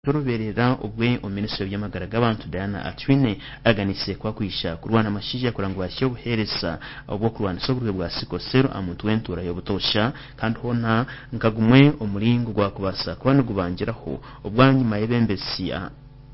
Orubeerera obwe omu minisitule y'eby'amagara g'abantu Diana Atwine araganise ku akwija kurwana amashaija kureba ngu bahitsya obuheereza obw'okurwanisa oburwaire bwa sickle cell aha muntu w'entuura y'obutoosha kandi hoona nka gumwe omuringo ogwakubaasa kuba nigubangiraho obwanyima y'ebembezi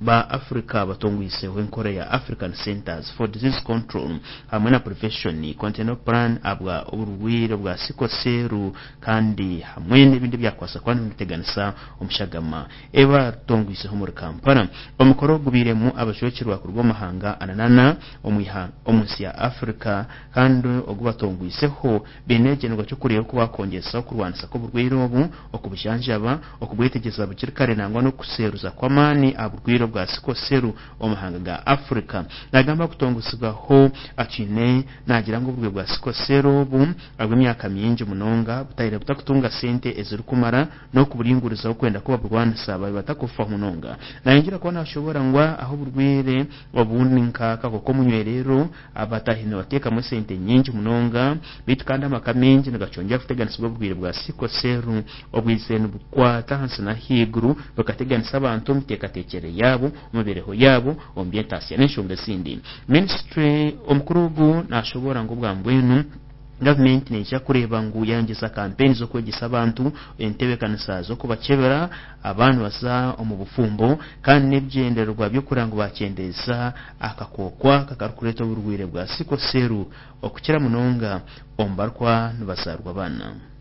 ba Africa batongwiseho enkora ya African Centres for Disease Control hamwe na Prevention Continental Plan ahabwa oburwaire bwa sickle cell kandi hamwe n'ebindi ebyakubaasa kuba nibiteganisa omushagama ebatongwiseho omuri Kampala. Omukoro gubairemu abajwekyerwa kuruga omu mahanga ananana omu nsi ya Africa kandi ogu batongwiseho baine ekigyendererwa ky'okureeba oku bakwongyesa okurwanisa kw'oburwaire obu, okubujanjaba, okubwetegyereza bukiri kare nangwa n'okuseruza kw'amaani aha burwaire bwa sickle cell omu mahanga ga Africa. Nagamba kutongozibwaho Atwine naagira ngu oburwaire bwa sickle cell obu ahabw'emyaka mingi munonga butaire butakutunga sente ezirikumara n'okuburingurizaho kwenda ku baburwanisa babe batakufaho munonga. Nayongyera kuba nashoboora ngu ahu oburwaire obu ni nka akakooko k'omunywerero abatahi nibateekamu esente nyingi munonga beitu kandi amaka maingi nigakyongyera kuteganisibwa oburwaire bwa sickle cell obwizire nibukwata ahansi n'ahaiguru bukateganisa abantu omu miteekateekyere yaabo, omu mibeereho yaabo, omu by'entaasya n'enshonga ezindi. Minisitule omukuru ogu nashoboora ngu obwa mbwenu gavumenti neija kureeba ngu yayongyeza kampeyini z'okwegyesa abantu entebeekanisa z'okubakyebera abaana nibaza omu bufumbo kandi n'ebigyendererwa by'okureeba ngu bakyendeeza akakooko aka akarikureeta oburwaire bwa sickle cell okukira munonga omu barikuba nibazaarwa abaana.